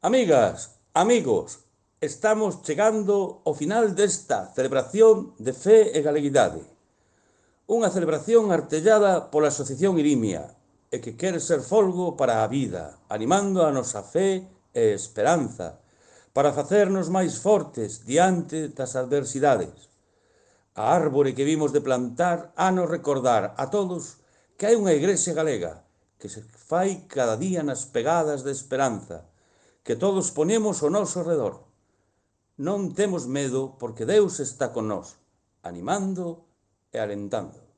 Amigas, amigos, estamos chegando ao final desta celebración de fe e galeguidade. Unha celebración artellada pola Asociación Irimia e que quere ser folgo para a vida, animando a nosa fe e esperanza, para facernos máis fortes diante das adversidades. A árbore que vimos de plantar hanos recordar a todos que hai unha igrexa galega que se fai cada día nas pegadas de esperanza, que todos ponemos ao noso redor. Non temos medo porque Deus está con nós, animando e alentando.